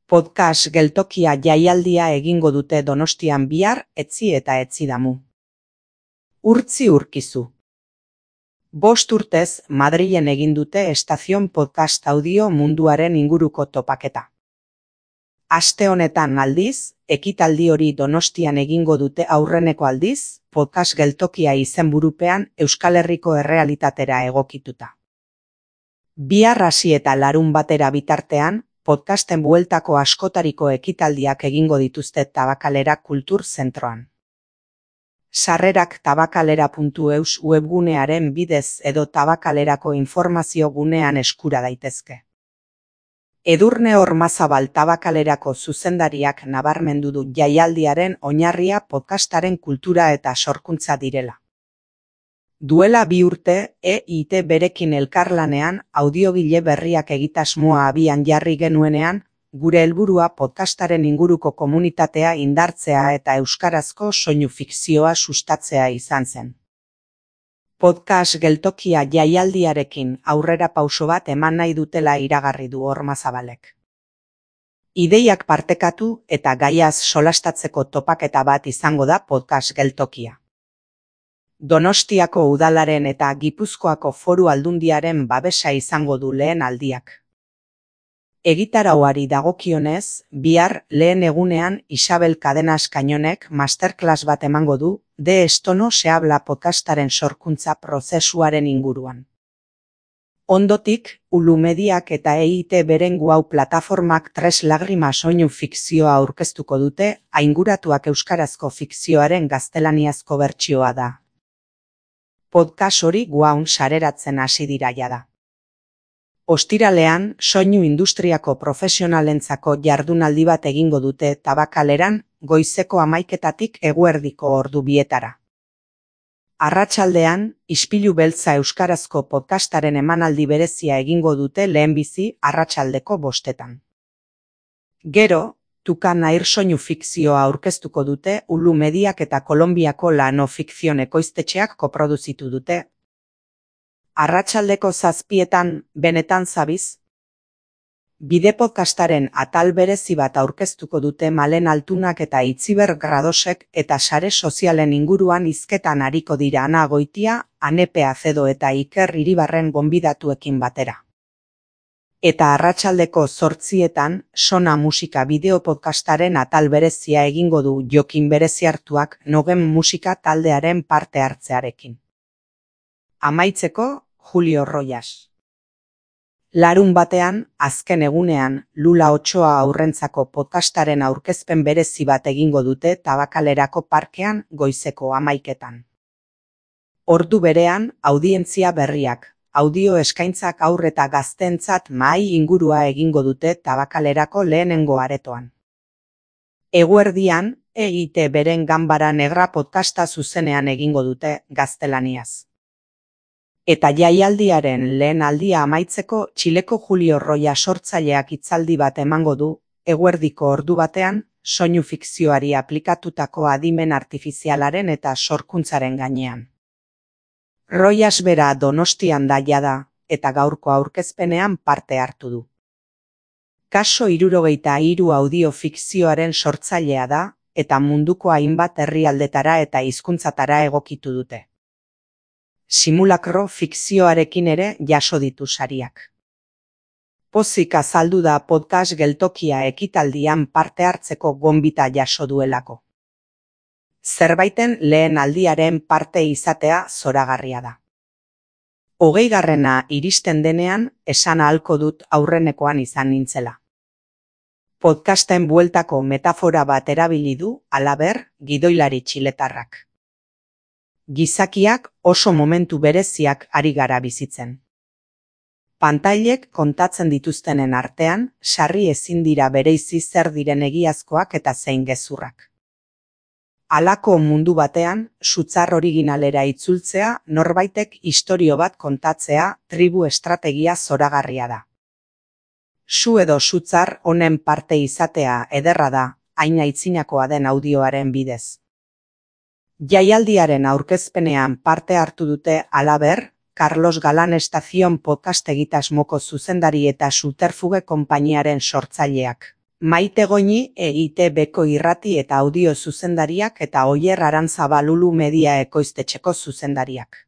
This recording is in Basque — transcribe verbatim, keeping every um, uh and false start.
Podcast geltokia jaialdia egingo dute Donostian bihar, etzi eta etzidamu. Urtzi urkizu. Bost urtez, Madrilen egin dute Estazion Podcast Audio munduaren inguruko topaketa. Aste honetan aldiz, ekitaldi hori Donostian egingo dute aurreneko aldiz, podcast geltokia izenburupean Euskal Herriko errealitatera egokituta. Bihar hasi eta larun batera bitartean, podcasten bueltako askotariko ekitaldiak egingo dituzte Tabakalera Kultur Zentroan. Sarrerak tabakalera puntu eus webgunearen bidez edo Tabakalerako informazio gunean eskura daitezke. Edurne Ormazabal Tabakalerako zuzendariak nabarmendu du jaialdiaren oinarria podcastaren kultura eta sorkuntza direla. Duela bi urte, E I T berekin elkarlanean audiogile berriak egitasmoa abian jarri genuenean, gure helburua podcastaren inguruko komunitatea indartzea eta euskarazko soinu fikzioa sustatzea izan zen. Podcast geltokia jaialdiarekin aurrera pauso bat eman nahi dutela iragarri du Ormazabalek. Ideiak partekatu eta gaiaz solastatzeko topaketa bat izango da podcast geltokia. Donostiako udalaren eta Gipuzkoako Foru Aldundiaren babesa izango du lehen aldiak. Egitarauari dagokionez, bihar lehen egunean Isabel Cadenas Kainonek masterclass bat emango du De Estono se habla podcastaren sorkuntza prozesuaren inguruan. Ondotik, Ulu Mediak eta E I T beren Guau plataformak Tres Lagrimas soinu fikzioa aurkeztuko dute, ainguratuak euskarazko fikzioaren gaztelaniazko bertsioa da. Podcast hori Guaun sareratzen hasi dira jada. Ostiralean, soinu industriako profesionalentzako jardunaldi bat egingo dute Tabakaleran, goizeko hamaiketatik eguerdiko ordu bietara. Arratsaldean, Ispilu Beltza euskarazko podcastaren emanaldi berezia egingo dute lehenbizi arratsaldeko bostetan. Gero, Tukan Air soinu fikzioa aurkeztuko dute Ulu Mediak eta Kolonbiako Lano Fikzion ekoiztetxeak koproduzitu dute. Arratsaldeko zazpietan, benetan zabiz? Bide podcastaren atal berezi bat aurkeztuko dute Malen Altunak eta Itziber Gradosek eta sare sozialen inguruan hizketan ariko dira Ana Goitia, Anepe Acedo eta Iker Iribarren gonbidatuekin batera. Eta arratsaldeko zortzietan, Sona Musika bideo podcastaren atal berezia egingo du Jokin Bereziartuak Nogen Musika taldearen parte hartzearekin. Amaitzeko, Julio Royas. Larun batean, azken egunean, Lula Otsoa aurrentzako podcastaren aurkezpen berezi bat egingo dute Tabakalerako parkean goizeko hamaiketan. Ordu berean, audientzia berriak. Audio eskaintzak aur eta gaztentzat mahai ingurua egingo dute Tabakalerako lehenengo aretoan. Eguerdian, E I T beren Ganbara Negra podcasta zuzenean egingo dute gaztelaniaz. Eta jaialdiaren lehen aldia amaitzeko Txileko Julio Roya sortzaileak hitzaldi bat emango du, eguerdiko ordu batean, soinu fikzioari aplikatutako adimen artifizialaren eta sorkuntzaren gainean. Royas bera Donostian da jada, eta gaurko aurkezpenean parte hartu du. Kaso hirurogeita hiru audio fikzioaren sortzailea da, eta munduko hainbat herrialdetara eta hizkuntzatara egokitu dute. Simulakro fikzioarekin ere jaso ditu sariak. Pozik azaldu da podcast geltokia ekitaldian parte hartzeko gonbita jaso duelako. Zerbaiten lehen aldiaren parte izatea zoragarria da. Hogeigarrena iristen denean, esan ahalko dut aurrenekoan izan nintzela. Podcasten bueltako metafora bat erabili du, halaber, gidoilari txiletarrak. Gizakiak oso momentu bereziak ari gara bizitzen. Pantailek kontatzen dituztenen artean, sarri ezin dira bereizi zer diren egiazkoak eta zein gezurrak. Halako mundu batean, sutzar originalera itzultzea, norbaitek istorio bat kontatzea, tribu estrategia zoragarria da. Su edo sutzar honen parte izatea ederra da, hain aitzinakoa den audioaren bidez. Jaialdiaren aurkezpenean parte hartu dute halaber, Carlos Galán Estazion podcast egitasmoko zuzendari eta Subterfuge konpainiaren sortzaileak. Maite Goñi E I Te Beko irrati eta audio zuzendariak eta Oier Arantzabal Ulu Media ekoiztetxeko zuzendariak.